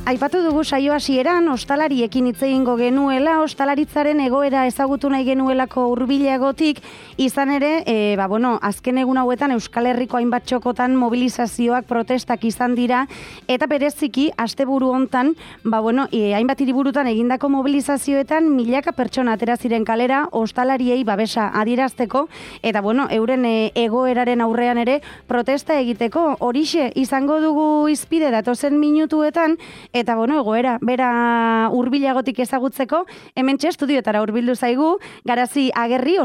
Aipatu dugu saio hasieran ostalariekin hitz egingo genuela, ostalaritzaren egoera ezagutu nahi genuelako hurbilagotik, izan ere, azken egun hauetan Euskal Herriko hainbat txokotan mobilizazioak, protestak izan dira, eta bereziki asteburu hontan, hainbat hiriburutan egindako mobilizazioetan milaka pertsona atera ziren kalera ostalariei babesa adierazteko, eta euren egoeraren aurrean ere protesta egiteko. Horixe izango dugu hizpide datozen minutuetan, eta egoera bera hurbilagotik ezagutzeko, hementxe estudioetara hurbildu zaigu Garazi Agerri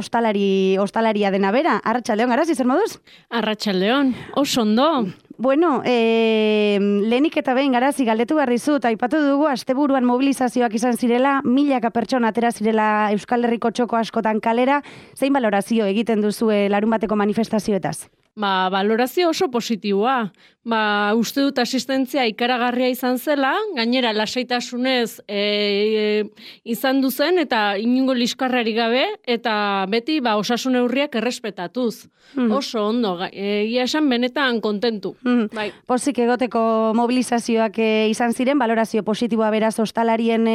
ostalaria dena bera. Arratsaldeon, Garazi, zer moduz? Arratsaldeon, oso ondo. Lehenik eta behin, Garazi, galdetu behar dizut, aipatu dugu asteburuan mobilizazioak izan zirela, milaka pertsona atera zirela Euskal Herriko txoko askotan kalera, zein balorazio egiten duzue larunbateko manifestazioetaz? Balorazio oso positiboa. Uste dut asistentzia ikaragarria izan zela, gainera lasaitasunez izan duzen eta inungo liskarrari gabe, eta beti osasun neurriak errespetatuz. Oso ondo, egia esan benetan kontentu. Pozik egoteko mobilizazioak izan ziren, balorazio positiboa beraz ostalarien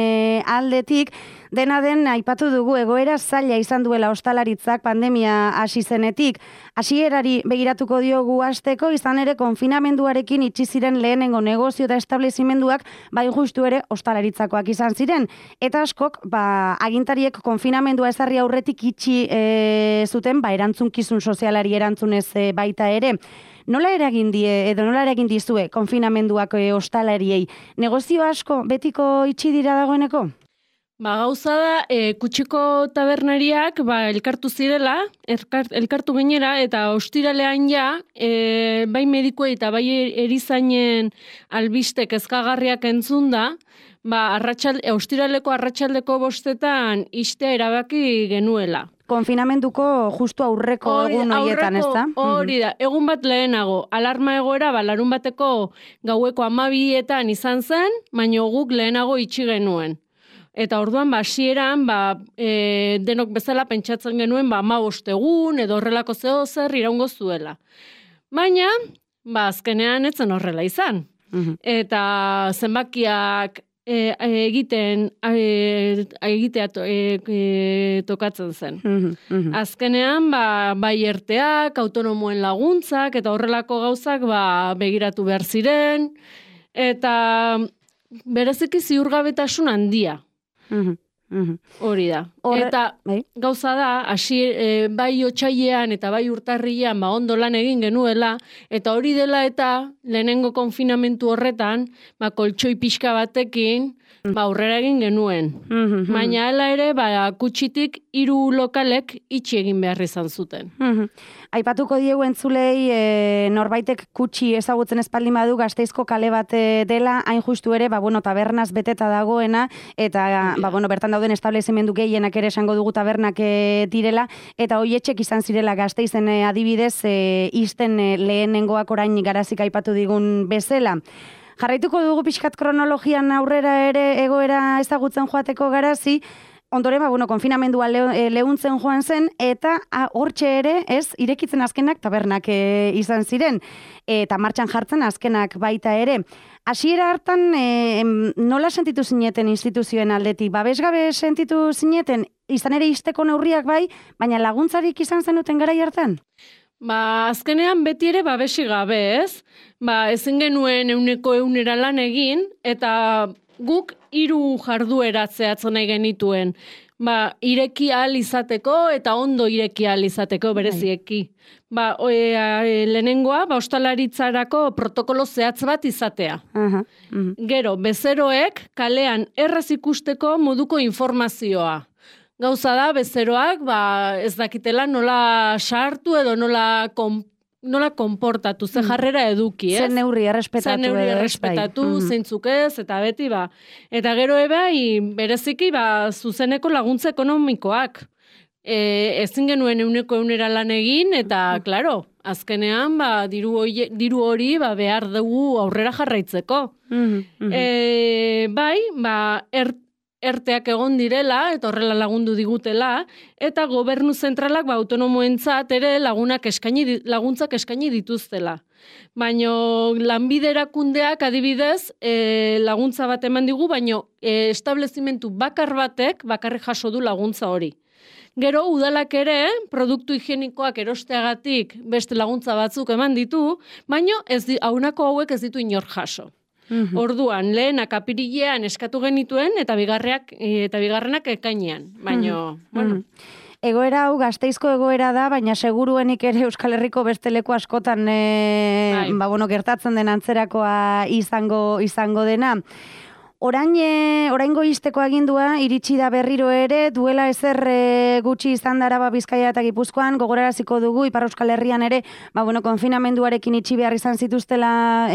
aldetik, dena den aipatu dugu egoera zaila izan duela ostalaritzak pandemia hasi zenetik. Hasierari begiratuko diogu hasteko, izan ere konfinamenduarekin itxi ziren lehenengo negozio eta establezimenduak, justu ere ostalaritzakoak izan ziren. Eta askok, agintariek konfinamendua ezarri aurretik itxi zuten, erantzunkizun sozialari erantzunez baita ere. Nola eragin dizue konfinamenduak ostalariei? Negozio asko betiko itxi dira dagoeneko? Gauza da, kutxiko tabernariak elkartu zirela, elkartu gainera, eta ostiralean bai medikuei eta bai erizainen albiste kezkagarriak entzunda, ostiraleko arratsaldeko 5 ixtea erabaki genuela. Konfinamenduko justu aurreko egun horietan, ez da? Hori da, egun bat lehenago, alarma egoera, larun bateko gaueko 12etan izan zen, baina guk lehenago itxi genuen. Eta orduan, hasieran, denok bezala pentsatzen genuen, 15 egun, edo horrelako zer iraungo zuela. Baina, azkenean etzen horrela izan. Eta zenbakiak egitea tokatzen zen. Azkenean, bai erteak, autonomoen laguntzak, eta horrelako gauzak begiratu behar ziren, eta bereziki ziurgabetasun handia. Hori da. Eta gauza da, bai otsailean eta bai urtarrilean ondo lan egin genuela, eta hori dela eta lehenengo konfinamentu horretan, koltxoi pixka batekin, aurrera egin genuen. Baina hala ere, kutxitik 3 lokalek itxi egin behar izan zuten. Aipatuko diegu entzulei norbaitek kutxi ezagutzen espaldin badu Gasteizko kale bat dela, hain justu ere, tabernaz beteta dagoena, eta bertan dauden establezimendu gehienak ere esango dugu tabernak direla, eta hoietxek izan zirela Gasteizen adibidez, isten lehenengoak orain Garazik aipatu digun bezala. Jarraituko dugu pixkat kronologian aurrera ere egoera ezagutzen joateko, Garazi. Ondoren, konfinamendua leuntzen joan zen, eta hortxe ere, irekitzen azkenak tabernak izan ziren, eta martxan jartzen azkenak baita ere. Hasiera hartan, nola sentitu zineten instituzioen aldetik? Babesgabe sentitu zineten, izan ere isteko neurriak baina laguntzarik izan zenuten garai hartan? Azkenean beti ere babesi gabe, ez? Ezin genuen 100% lan egin, eta guk 3 jarduera zehatzen nahi genituen. Ireki ahal izateko eta ondo ireki ahal izateko berezieki. Lehenengoa, ostalaritzarako protokolo zehatz bat izatea. Gero, bezeroek kalean erraz ikusteko moduko informazioa. Gauza da, bezeroak ez dakitela nola sartu edo nola konportatu, ze jarrera eduki, ez? Zer neurri errespetatu. Zeintzuk ez, eta beti, Eta gero bereziki, zuzeneko laguntza ekonomikoak. Ezin genuen 100% lan egin, eta, klaro, azkenean, diru hori behar dugu aurrera jarraitzeko. erteak egon direla, eta horrela lagundu digutela, eta gobernu zentralak autonomoentzat ere laguntzak eskaini dituztela. Baina lanbide erakundeak adibidez laguntza bat eman digu, baina establezimentu bakarrik jaso du laguntza hori. Gero, udalak ere, produktu higienikoak erosteagatik beste laguntza batzuk eman ditu, baina aunako hauek ez ditu inor jaso. Orduan, lehenak apirilean eskatu genituen, eta bigarrenak ekainean. Baina, bueno... Egoera hau Gasteizko egoera da, baina seguruenik ere Euskal Herriko beste leku askotan gertatzen den antzerakoa izango dena. Oraingo ixteko agindua iritsi da berriro ere, duela ezer gutxi izan da Araba, Bizkaia eta Gipuzkoan, gogoraraziko dugu Ipar Euskal Herrian ere, konfinamenduarekin itxi behar izan zituztela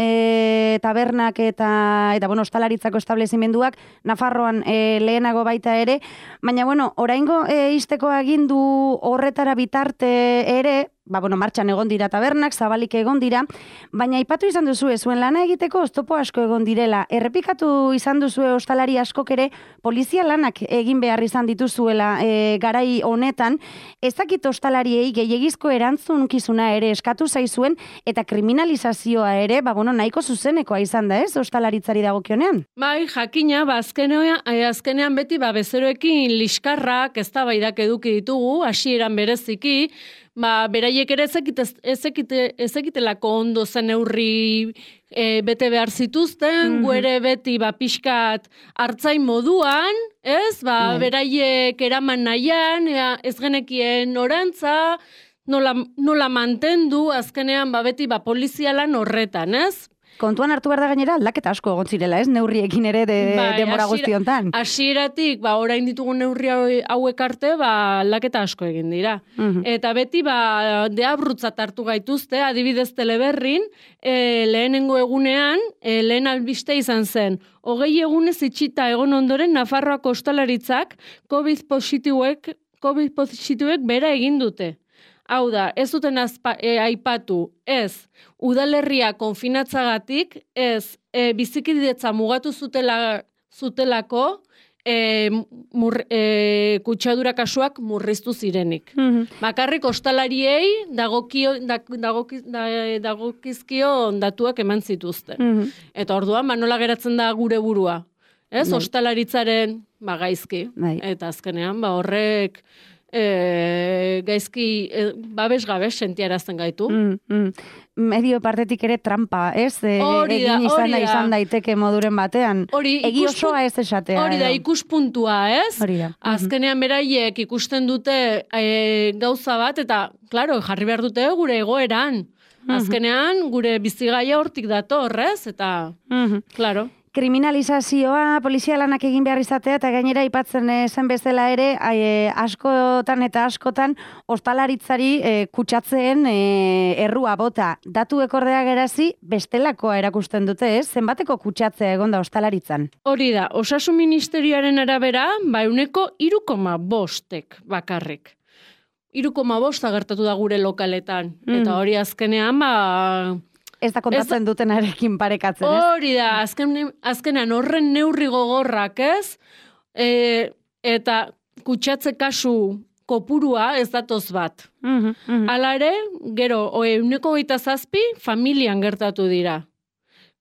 tabernak eta ostalaritzako establezimenduak, Nafarroan lehenago baita ere, baina oraingo ixteko agindu horretara bitarte ere, martxan egon dira tabernak, zabalik egon dira, baina aipatu izan duzu zuen lana egiteko oztopo asko egon direla. Errepikatu izan duzu ostalari askok ere polizia lanak egin behar izan dituzuela garai honetan. Ez dakit ostalariei gehiegizko erantzunkizuna ere eskatu zaizuen eta kriminalizazioa ere, nahiko zuzenekoa izan da ez, ostalaritzari dagokionean? Bai, jakina, azkenean beti bezeroekin liskarrak eztabaidak eduki ditugu, hasieran bereziki, beraiek ere ezekitelako ondo zen neurri bete behar zituzten, ere beti pixkat hartzain moduan, ez? Beraiek eraman nahian, ez genekien orantza, nola mantendu, azkenean beti polizialan horretan, ez? Kontuan hartu behar da gainera aldaketa asko egon zirela, ez? Neurriekin ere demora guztiontan. Hasieratik, orain ditugun neurri hauek arte, aldaketa asko egin dira. Eta beti, deabrutzat hartu gaituzte, adibidez Teleberrin, lehenengo egunean, lehen albiste izan zen. 20 egunez itxita egon ondoren, Nafarroako ostalaritzak COVID positiboek bera egin dute. Hau da, ez duten aipatu, ez udalerria konfinatzagatik, ez bizikidetza mugatu zutelako kutsadura kasuak murriztu zirenik. Bakarrik ostalariei dagokizkio datuak eman zituzten. Eta orduan, nola geratzen da gure burua. Ez, ostalaritzaren gaizki. Eta azkenean, horrek... gaizki babes-gabes sentiarazten gaitu. Medio partetik ere trampa, ez? Egin izan daiteke moduren batean. Egi osoa ez esatea. Hori da, ikuspuntua, ez? Azkenean beraiek ikusten dute gauza bat, eta, klaro, jarri behar dute gure egoeran. Azkenean, gure bizigaia hortik dator, ez? Eta, klaro. Kriminalizazioa, polizia lanak egin behar izatea, eta gainera aipatzen zen bezala ere, askotan ostalaritzari kutsatzeen errua bota. Datu ekordea gerazi, bestelakoa erakusten dute, ez? Zenbateko kutsatzea egonda ostalaritzan? Hori da, Osasun Ministerioaren arabera, 3,5 bakarrik. 3,5 gertatu da gure lokaletan. Eta hori azkenean, ez da kontatzen dutenarekin parekatzen, ez? Hori da, azkenean horren neurri gogorrak, ez? Eta kutsatze kasu kopurua ez datoz bat. Hala ere, gero, 27 familian gertatu dira.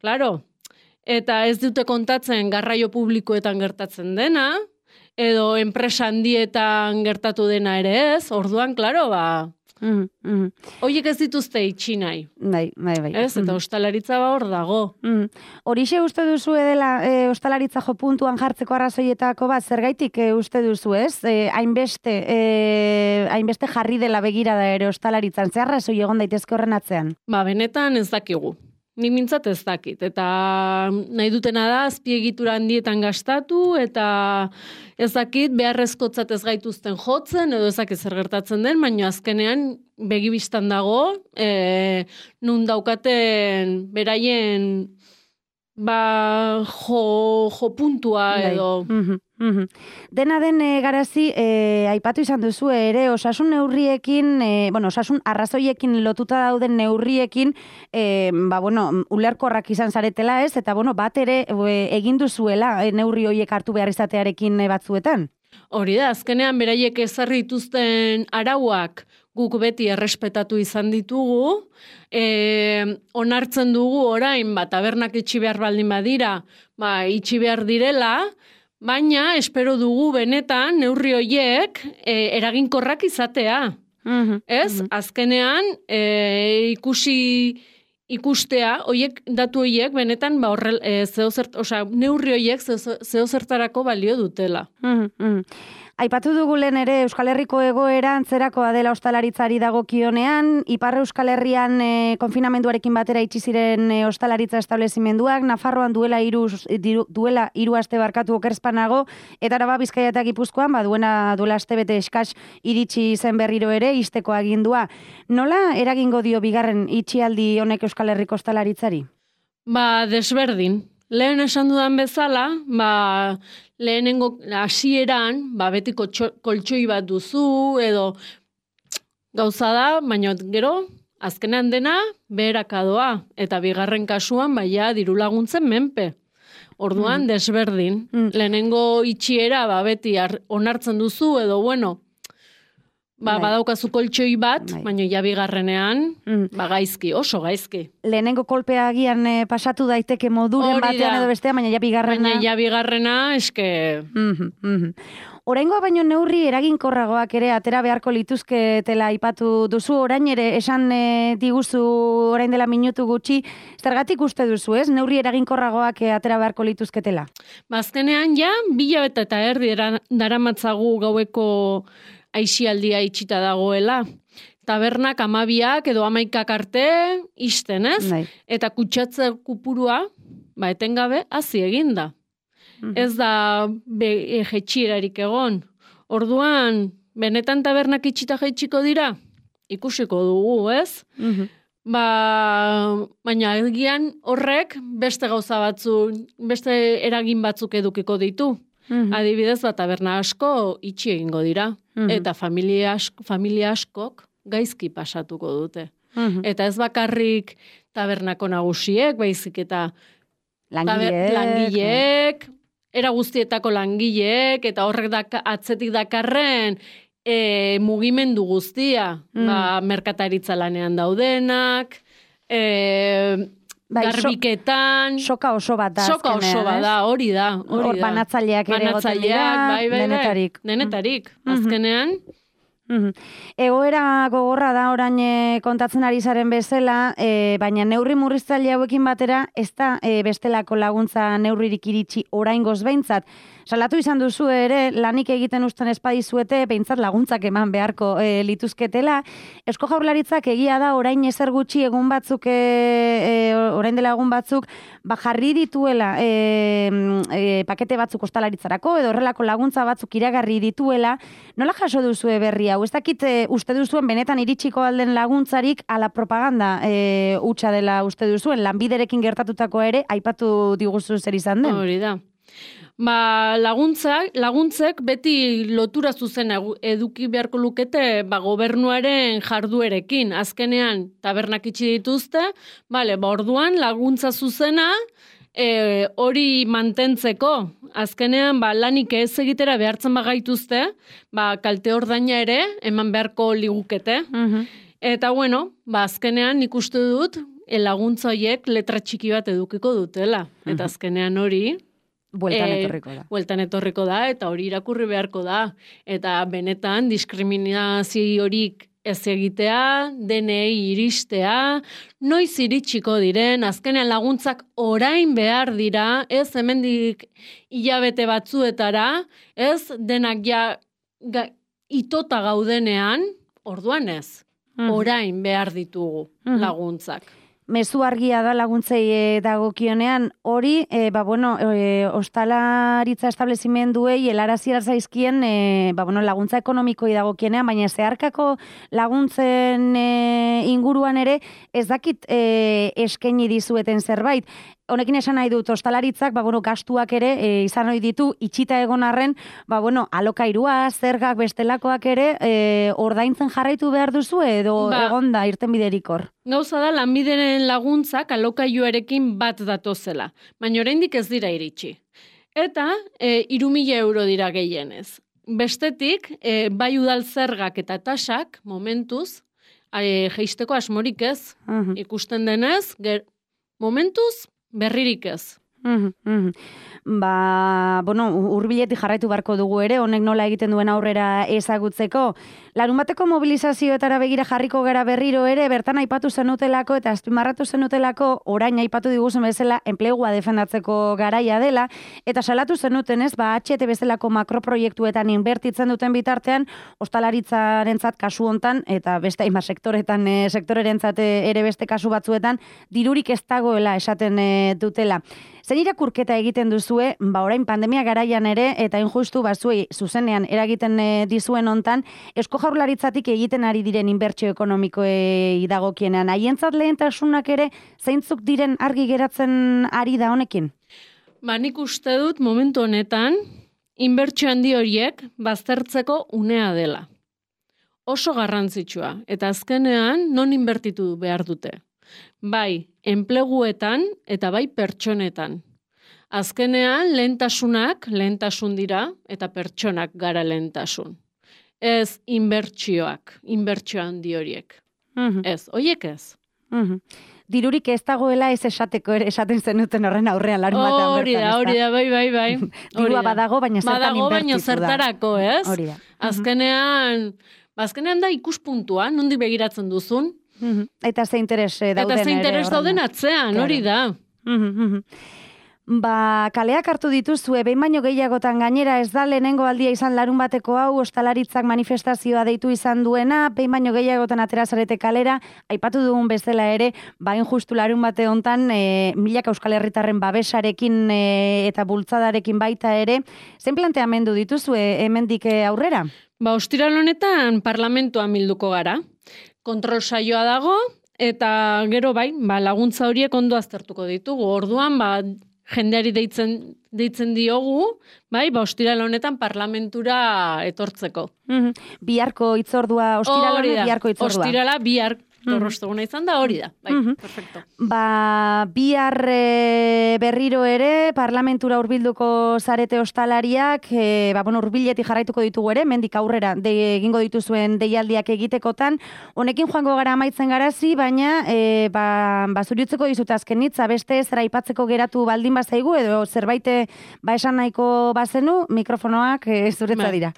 Claro, eta ez dute kontatzen garraio publikoetan gertatzen dena, edo enpresa handietan gertatu dena ere ez, orduan, claro, Oiek ez dituzte itxi nahi. Bai. Ez, eta ostalaritza hor dago. Horixe uste duzu edela ostalaritza jo puntuan jartzeko arrazoietako bat, zergaitik uste duzu, ez? Hainbeste jarri dela begirada ere ostalaritzan, zer arrazoi egon daitezke horren atzean? Benetan ez dakigu. Nik mintzat ez dakit, eta nahi dutena da azpiegitura handietan gastatu, eta ez dakit beharrezkotzat ez gaituzten jotzen, edo ez dakit zer gertatzen den, baina azkenean begibistan dago, nun daukaten beraien jo puntua edo. Dena den garazi, aipatu izan duzu ere, osasun neurriekin, osasun arrazoiekin lotuta dauden neurriekin, ulerkorrak izan zaretela ez, eta bat ere egin duzuela neurri horiek hartu behar izatearekin batzuetan. Hori da, azkenean beraiek ezarri dituzten arauak guk beti errespetatu izan ditugu, onartzen dugu orain, tabernak itxi behar baldin badira, itxi behar direla, baina espero dugu benetan neurri horiek eraginkorrak izatea. Ez? Azkenean ikustea, datu horiek benetan neurri horiek zeozertarako balio dutela. Aipatu dugu lehen ere Euskal Herriko egoera antzerakoa dela ostalaritzari dagokionean, Ipar Euskal Herrian konfinamenduarekin batera itxi ziren ostalaritza establezimenduak, Nafarroan duela 3 aste barkatu okerspanago, eta Araba, Bizkaia eta Gipuzkoan duela astebete eskas iritsi zen berriro ere ixteko agindua. Nola eragingo dio bigarren itxialdi honek Euskal Herriko ostalaritzari? Desberdin. Lehen esan dudan bezala, lehenengo hasieran, betiko koltsoi bat duzu, edo gauza da, baina gero, azkenean dena, beherakadoa, eta bigarren kasuan, diru laguntzen menpe. Orduan, desberdin. Lehenengo itxiera, beti onartzen duzu, edo badaukazu koltsoi bat, baina bigarrenean, gaizki, oso gaizki. Lehenengo kolpea agian pasatu daiteke moduren batean edo bestea, baina bigarrena... Baina bigarrena, eske... Oraingoa baino neurri eraginkorragoak ere atera beharko lituzketela aipatu duzu, orain ere esan diguzu orain dela minutu gutxi, zergatik uste duzu, ez? Neurri eraginkorragoak atera beharko lituzketela? Azkenean 2 hilabete eta erdi daramatzagu gaueko aisialdia itxita dagoela. Tabernak 12 edo 11 arte ixten, ez? Eta kutsatze kupurua, etengabe, hazi eginda. Ez da jetxierarik egon. Orduan, benetan tabernak itxita jetxiko dira? Ikusiko dugu, ez? Baina egian horrek beste gauza beste eragin batzuk edukiko ditu. Adibidez, taberna asko itxi egingo dira. Eta familia askok gaizki pasatuko dute. Eta ez bakarrik tabernako nagusiek, baizik eta langileek, era guztietako langileek, eta horrek atzetik dakarren mugimendu guztia. Merkataritza lanean daudenak, garbiketan... Soka oso bat da. Soka oso bat da, hori da. Hor banatzaileak ere goten dira, denetarik. Denetarik, azkenean... Egoera gogorra da orain kontatzen ari zaren bezala, baina neurri murriztaile hauekin batera ez da bestelako laguntza neurririk iritsi oraingoz behintzat. Salatu izan duzu ere, lanik egiten usten espadizuete, behintzat laguntzak eman beharko lituzketela. Eusko Jaurlaritzak egia da orain ezer gutxi egun batzuk, orain dela egun batzuk, jarri dituela pakete batzuk ostalaritzarako, edo horrelako laguntza batzuk iragarri dituela. Nola jaso duzue berri hau? Ez dakit uste duzuen benetan iritsiko alden laguntzarik ala propaganda hutsa dela uste duzuen, Lanbiderekin gertatutako ere, aipatu diguzu zer izan den? Hori da. Laguntzek beti lotura zuzena eduki beharko lukete gobernuaren jarduerekin. Azkenean tabernak itxi dituzte, orduan laguntza zuzena hori mantentzeko. Azkenean lanik ez egitera behartzen bagaituzte, kalte ordaina ere eman beharko ligukete. Eta azkenean nik uste dut laguntza horiek letra txiki bat edukiko dutela. Eta azkenean hori... Bueltan etorriko da, eta hori irakurri beharko da. Eta benetan diskriminazio horik ez egitea, denei iristea, noiz iritsiko diren, azkenean laguntzak orain behar dira, ez hemendik hilabete batzuetara, ez denak itota gaudenean, orduan ez, orain behar ditugu laguntzak. Mezu argia da laguntzei dagokionean, hori, ostalaritza establezimenduei helarazi zaizkien laguntza ekonomikoi dagokienean, baina zeharkako laguntzen inguruan ere ez dakit eskaini dizueten zerbait. honekin esan nahi dut, ostalaritzak, gastuak ere izan ohi ditu, itxita egon arren, alokairua, zergak bestelakoak ere, ordaintzen jarraitu behar duzu edo egonda irten biderik hor? Gauza da, lanbideren laguntzak alokaiuarekin bat datozela, baina oraindik ez dira iritsi. Eta 3.000 euro dira gehienez. Bestetik, bai udal zergak eta tasak, momentuz, jeisteko asmorik ez, ikusten denez, momentuz, berririk ez. Hurbiletik jarraitu barko dugu ere, honek nola egiten duen aurrera ezagutzeko. Larunbateko mobilizazioetara begira jarriko gara berriro ere, bertan aipatu zenutelako eta azpimarratu zenutelako, orain aipatu diguzun bezala, enplegua defendatzeko garaia dela, eta salatu zenuten ez, HT bezalako makroproiektuetan inbertitzen duten bitartean, ostalaritzarentzat kasu hontan, eta beste hainbat sektorerentzat ere beste kasu batzuetan, dirurik ez dagoela esaten dutela. Zein irakurketa egiten duzue, orain pandemia garaian ere, eta injustu zuei zuzenean eragiten dizuen hontan, Eusko Jaurlaritzatik egiten ari diren inbertsio ekonomikoei dagokienean. Haientzat lehentasunak ere, zeintzuk diren argi geratzen ari da honekin? Nik uste dut momentu honetan, inbertsio handi horiek baztertzeko unea dela. Oso garrantzitsua, eta azkenean non inbertitu behar dute. Bai, enpleguetan eta bai pertsonetan. Azkenean, lehentasun dira, eta pertsonak gara lehentasun. Ez inbertsio handi horiek. Ez, horiek ez. Dirurik ez dagoela ez esateko ere esaten zenuten horren aurrean larunbatean bertan. Hori da, bai. Dirua badago, baina zertan inbertitu da. Baina zertarako, ez? Hori da. Azkenean da ikuspuntua, nondi begiratzen duzun. Eta ze interes dauden atzean, hori da. Kaleak hartu dituzue, behin baino gehiagotan gainera ez da lehenengo aldia izan larunbateko hau, ostalaritzak manifestazioa deitu izan duena, behin baino gehiagotan aterazarete kalera, aipatu dugun bezala ere, bain justu larunbate hontan, milaka Euskal Herritarren babesarekin eta bultzadarekin baita ere, zen planteamendu dituzue hemendik aurrera? Ostiral honetan parlamentuan bilduko gara. Kontrol saioa dago, eta gero laguntza horiek ondo aztertuko ditugu. Orduan, jendeari deitzen diogu, ostiral honetan parlamentura etortzeko. Biharko itzordua, biharko itzordua. Ostirala, bihar torrostoguna izan da, hori da. Perfecto. Bihar berriro ere, parlamentura hurbilduko zarete ostalariak, hurbiletik jarraituko ditugu ere, mendik aurrera egingo dituzuen deialdiak egitekotan. Honekin joango gara amaitzen garazi, baina zuriutzeko dizut azkenitza, beste zera aipatzeko geratu baldin bazaigu, edo zerbait esan nahiko bazenu, mikrofonoak zuretza dira.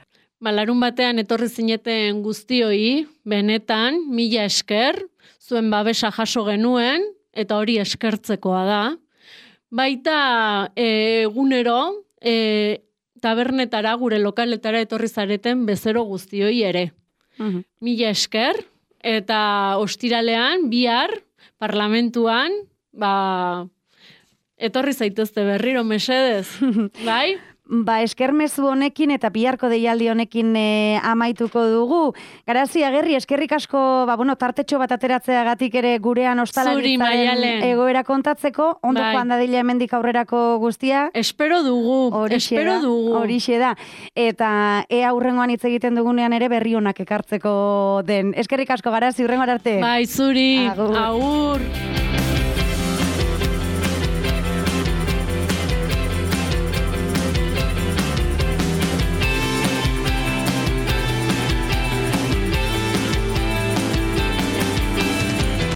Larun batean etorri zineten guztioi, benetan, 1000 esker, zuen babesa jaso genuen, eta hori eskertzekoa da. Baita egunero, tabernetara, gure lokaletara etorri zareten bezero guztioi ere. 1000 esker, eta ostiralean, bihar, parlamentuan, etorri zaitezte berriro, mesedez, bai? Eskermezu honekin eta biharko deialdi honekin amaituko dugu. Garazi, Agerri, eskerrik asko, tartetxo bat ateratzeagatik ere gurean ostalaritzaren egoera kontatzeko, ondo joan dadila hemendik aurrerako guztia. Espero dugu. Horixe da. Eta aurrengoan hitz egiten dugunean ere berri honak ekartzeko den. Eskerrik asko, Garazi, hurrengoan arte. Bai, zuri. Agur.